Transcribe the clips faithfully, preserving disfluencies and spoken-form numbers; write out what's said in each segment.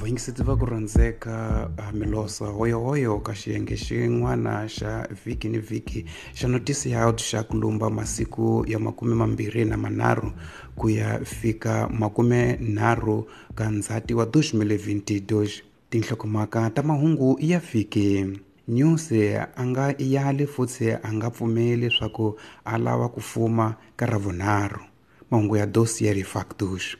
Vayingiseti va ku rhandzeka Milosa hoyohoyo ka xiyenge xin'wana xa vhiki ni vhiki xa Noticiado xa ku lumba masiku ya makume mambirhi na manharhu ku ya fika makume nharhu ka Ndzhati wa dos mil e vinte e dois. Tinhlokomhaka ta mahungu ya vhiki. Nyusi a nga yali futhi a nga pfumeli leswaku a lava ku fuma ka ravunharhu. Mahungu ya Dossier Factos.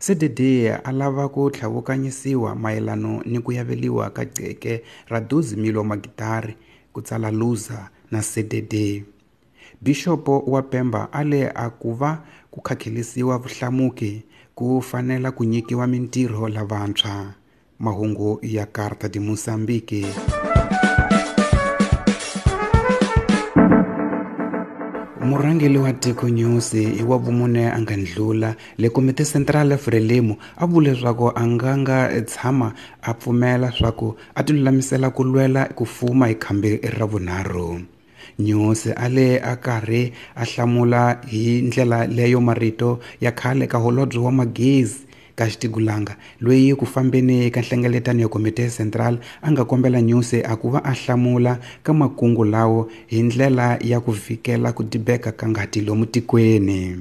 C D D a lava ku tlhavukanyisiwa mayelano ni ku yaveliwa ka qeke ra doze mil wa magitari ku tsala Luza na C D D. Bixopo wa Pemba a le a ku va ku khakhelisiwa vuhlamuki ku fanela ku nyikiwa mintirho lavantshwa. Mahungu ya Carta de Moçambique. Murhangeri wa tiko Nyusi hi wa vumune a nga ndlula le Komite Central Frelimo a vule leswaku a nga nga tshama a pfumela swaku a tilulamisela ku lwela ku fuma hi khambi ra vunharhu. Nyusi a le a karhi a hlamula hi ndlela leyo marito ya khale ka holobye wa magezi ka Xitigulanga loyi ku fambeni ka nhlengeletano ya Komite Central a nga kombela Nyusi a ku va a hlamula ka makungu lawo hi ndlela ya ku vhikela ku dibeka ka ngati lomu tikweni.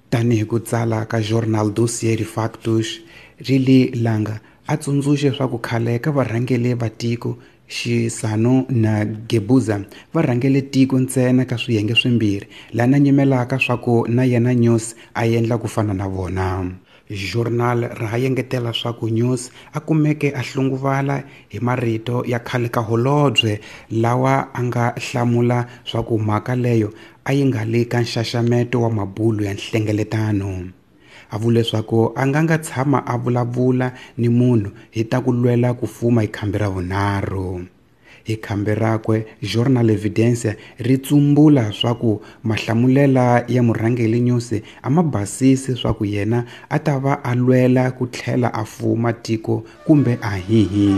Tanihi ku tsala ka Jornal Dossier Factos Rili Langa a tsundzuxe swa ku khale ka varhangeri va tiko Xisano na Gebuza va rhangele tiko ntsena ka swiyenge swimbirhi lana nyimelaka swa ku na yena Nyusi a endla ku fana na vona. Journal ra ha yengetela swa ku Nyusi a kumeke a hlunguvala hi marito ya khale ka holobye lawa a nga hlamula swa ku mhaka leyo a yi nga le ka nxaxameto wa mabulu ya nhlengeletano. A vule leswaku a nga nga tshama a vulavula ni munhu hi ta ku lwela ku fuma hi khambi ra vunharhu. Hi khambi rakwe Journal Evidencia ri tsumbula swa ku mahlamulela ya murhangeri Nyusi a ma basisi swa ku yena a ta va a lwela ku tlhela a fuma tiko kumbe a hihi.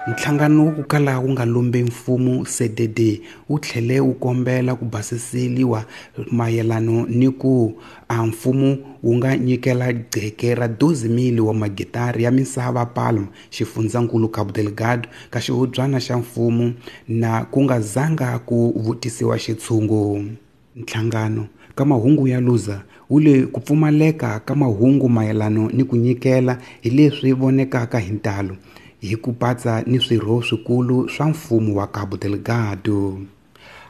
Nhlangano wo kala wu nga lombi mfumo C D D wu tlhele wu kombela ku basiseliwa mayelano ni ku a mfumo wu nga nyikela qeke ra doze mil wa magitari ya misava Palma xifundzankulu Cabo Delgado ka xihubyana xa mfumo na ku nga zanga ku vutisiwa xitshungu. Nhlangano ka mahungu ya Luza wu le ku pfumaleka ka mahungu mayelano ni ku nyikela hi leswi vonekaka hi ntalo hi ku patsa ni swirho swikulu swa mfumo wa Cabo Delgado.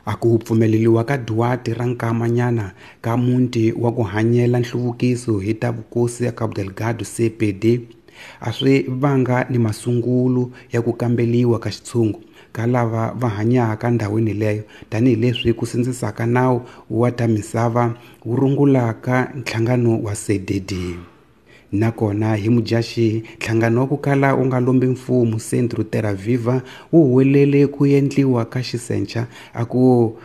A ku pfumeleliwa ka Duarte ra nkamanyana ka muti wa ku hanyela nhluvukiso hi ta vukosi ya Cabo Delgado C P D a swi vanga ni masungulo ya ku kambeliwa ka xitshungu ka lava va hanyaka ndhawini leyo tanihileswi ku sindzisaka nawu wa ta misava wu rungulaka nhlangano wa C D D. Nakona hi Mudyaxihi nhlangano wa ku kala wu nga lombi mfumo Centro Terra Viva wu huwelele ku endliwa ka xisencha a ku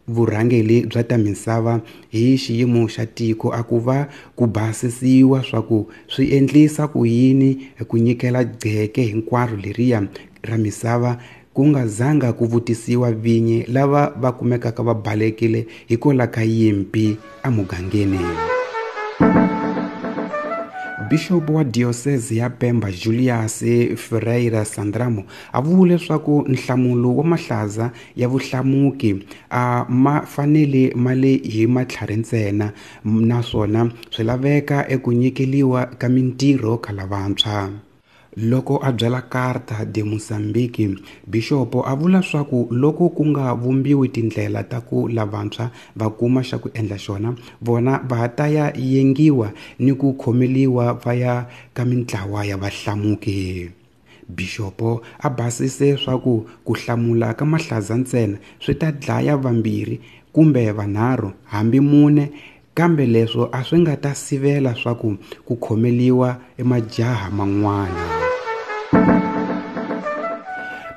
vurhangeri bya ta misava hi xiyimo xa tiko a ku va ku basisiwa swa ku swi endlisa ku yini ku nyikela qeke hinkwaro leriya ra misava ku nga zanga ku vutisiwa vinyi lava va kumekaka va balekile hikwalaho ka yimpi emugangeni. Bishop wa Diocese ya Pemba Julius Ferreira Sandramo a vule leswaku nhlamulo wa mahlaza ya vuhlamuki a ma fanele ma le hi matlhari ntsena naswona swi laveka eku nyikeliwa ka mintirho ka lavantshwa. Loko a byela Carta de Moçambique, Bixopo a vula swaku loko ku nga vumbiwi tindlela ta ku lavantshwa va kuma xa ku endla xona vona va ta ya yengiwa ni ku khomeliwa va ya ka mintlawa ya vahlamuki. Bixopo a basise swaku ku hlamula ka mahlaza ntsena swi ta dlaya vambirhi kumbe vanharhu hambi mune kambe leswo a swi nga ta sivela swaku ku khomeliwa emajaha man'wana.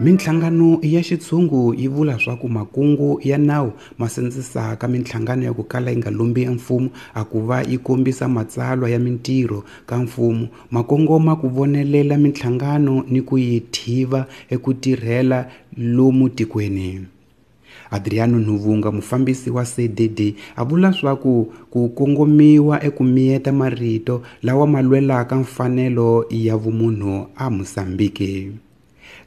Minhlangano ya xitshungu yi vula swaku makungu ya nawu ma sindzisaka minhlangano ya ku kala yi nga lombi mfumo a ku va yi kombisa matsalwa ya mintirho ka mfumo ma kongoma ku vonelela minhlangano ni ku yi thiva eku tirhela lomu tikweni. Adriano Nuvunga, mufambisi wa C D D, a vula swaku ku kongomiwa eku miyeta marito lawa ma lwelaka mfanelo ya vumunhu a Mozambique.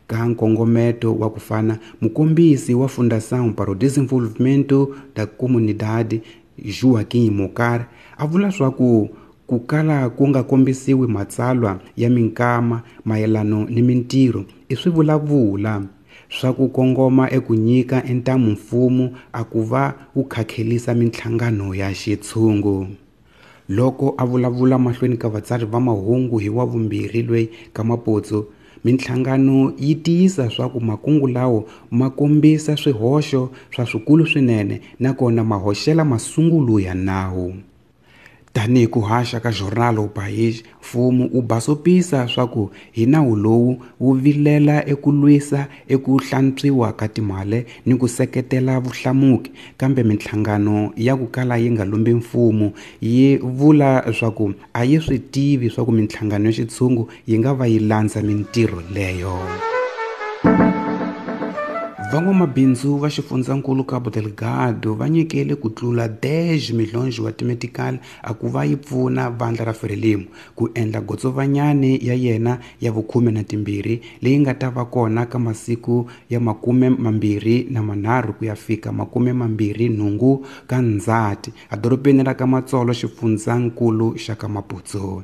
Ka nkongometo wa ku fana, mukombisi wa Fundação para o Desenvolvimento da Comunidade, Joaquim Mokar, a vula swaku ku kala ku nga kombisiwi matsalwa ya minkama mayelano ni mintirho i swivulavula swa ku kongoma eku nyika ntamu mfumo a ku va wu khakhelisa minhlangano ya xitshungu. Loko a vulavula mahlweni ka vatsari va mahungu hi wa vumbirhi lweyi ka Maputsu, minhlangano yi tiyisa swa ku makungu lawo ma kombisa swihoxo swa swikulu swinene nakona ma hoxela masungulo ya nawu. Tanihi ku haxa ka Jornal O País, mfumo wu basopisa swa ku hi nawu lowu wu vilela eku lwisa eku hlantswiwa ka timali ni ku seketela vuhlamuki, kambe minhlangano ya ku kala yi nga lumbi mfumo yi vula swa ku a yi swi tivi swa ku minhlangano ya xitshungu yi nga va yi landza mintirho leyo. Van'wamabindzu va xifundzankulu Cabo Delgado va nyikele ku tlula dez milhões wa timetikali a ku va yi pfuna vandla ra Frelimo ku endla gotsovanyani ya yena ya vukhume na timbirhi leyi nga ta va kona ka masiku ya makume mambirhi na manharhu ku ya fika makume mambirhi nhungu ka Ndzhati edorobeni ra ka Matsolo xifundzankulu xa ka Maputo.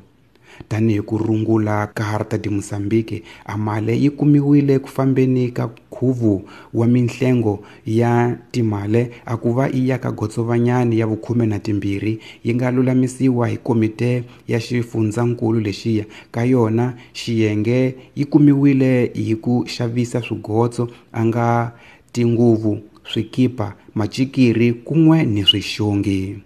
Tanihi ku rungula Carta de Moçambique, a mali yi kumiwile ku fambeni ka nkhuvo wa minhlengo ya timali a ku va yi ya ka gotsovanyani ya vukhume na timbirhi yi nga lulamisiwa hi komite ya xifundzankulu lexiya ka yona xiyenge yi kumiwile hi ku xavisa swigotso a nga tinguvu, swikipa, macikiri kun'we ni swixongi.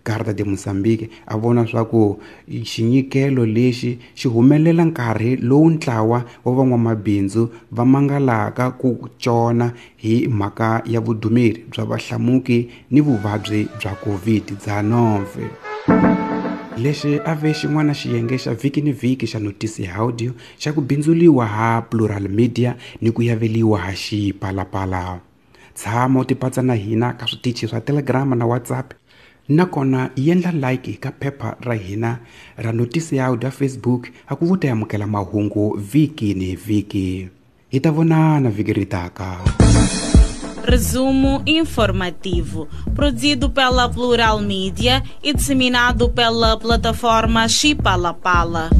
Carta de Moçambique a vona swa ku xinyikelo lexi xi humelela nkarhi lowu ntlawa wa van'wamabindzu va mangalaka ku cona hi mhaka ya vudumeri bya vahlamuki ni vuvabyi bya COVID nineteen. Lexi a ve xin'wana xiyenge xa vhiki ni vhiki xa Notícia Audio xa ku bindzuliwa ha Plural Media ni ku yaveliwa ha Xipalapala. Tshama u tipatsa na hina ka switichi swa Telegram na WhatsApp. Nakona yendla like ka phepha ra hina ra Notícia Audio Facebook a ku vuta amukela mahungu vhiki ni vhiki. Hi ta vonana vhiki ri taka. Resumo informativo, produzido pela Plural Media e disseminado pela plataforma Xipalapala.